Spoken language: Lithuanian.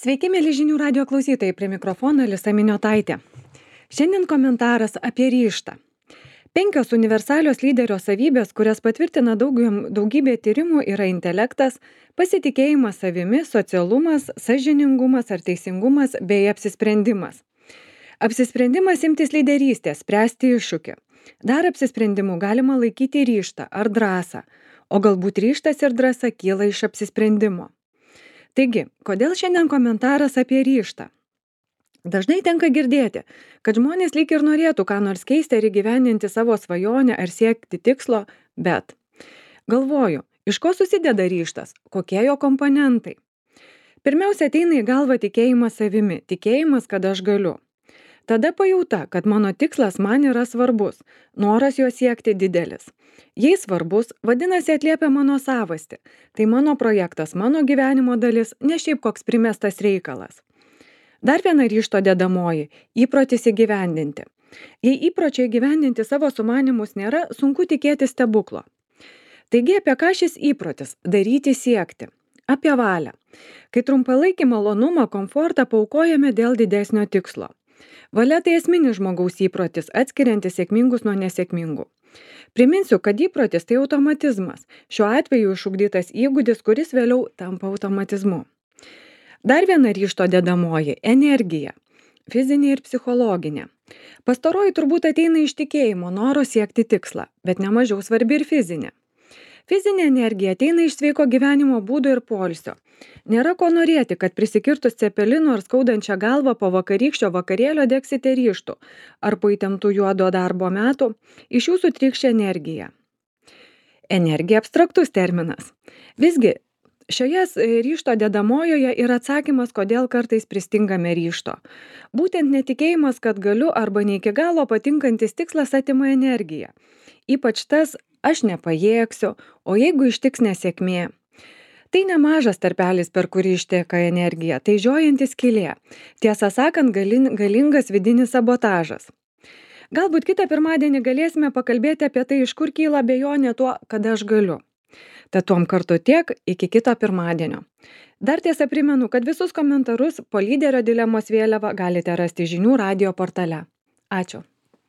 Sveiki, mėly žinių radio klausytojai, prie mikrofono Alisa Miniotaitė. Šiandien komentaras apie ryžtą. 5 universalios lyderio savybės, kurias patvirtina daugybė tyrimų, yra intelektas, pasitikėjimas savimi, socialumas, sąžiningumas ar teisingumas bei apsisprendimas. Apsisprendimas imtis lyderystės, spręsti iššūkį. Dar apsisprendimu galima laikyti ryžtą ar drąsą, o galbūt ryžtas ir drąsa kyla iš apsisprendimo. Taigi, kodėl šiandien komentaras apie ryžtą? Dažnai tenka girdėti, kad žmonės lyg ir norėtų ką nors keisti ar įgyvendinti savo svajonę ar siekti tikslo, bet galvoju, iš ko susideda ryžtas, kokie jo komponentai. Pirmiausia, ateina į galvą tikėjimas savimi, tikėjimas, kad aš galiu. Tada pajauta, kad mano tikslas man yra svarbus, noras jo siekti didelis. Jei svarbus, vadinasi atliepia mano savastį. Tai mano projektas, mano gyvenimo dalis, ne šiaip koks primestas reikalas. Dar viena ryžto dedamoji – įprotis įgyvendinti. Jei įpročiai įgyvendinti savo sumanymus nėra, sunku tikėti stebuklo. Taigi apie ką šis įprotis – daryti siekti? Apie valią. Kai trumpalaikį malonumą, komfortą paaukojame dėl didesnio tikslo. Valia tai esminis žmogaus įprotis, atskiriantis sėkmingus nuo nesėkmingų. Priminsiu, kad įprotis tai automatizmas, šiuo atveju išugdytas įgūdis, kuris vėliau tampa automatizmu. Dar viena ryžto dedamoji – energija, fizinė ir psichologinė. Pastaroji turbūt ateina iš tikėjimo, noro siekti tikslą, bet nemažiau svarbi ir fizinė. Fizinė energija ateina iš sveiko gyvenimo būdo ir poilsio. Nėra ko norėti, kad prisikirtus cepelinu ar skaudančią galvą po vakarykščio vakarėlio degsite ryžtų, ar po įtemptų juodo darbo metų iš jūsų trykš energija. Energija abstraktus terminas. Visgi, šioje ryžto dedamojoje yra atsakymas, kodėl kartais pristingame ryžto. Būtent netikėjimas, kad galiu arba ne iki galo patinkantis tikslas atima energiją. Ypač tas aš nepajėgsiu, o jeigu ištiks nesėkmė. Tai nemažas tarpelis, per kurį išteka energija, tai žiojanti skylė. Tiesą sakant, galingas vidinis sabotažas. Galbūt kitą pirmadienį galėsime pakalbėti apie tai, iš kur kyla abejonė tuo, kad aš galiu. Tad tuom kartu tiek, iki kito pirmadienio. Dar tiesa primenu, kad visus komentarus po lyderio dilemos vėliava galite rasti žinių radio portale. Ačiū.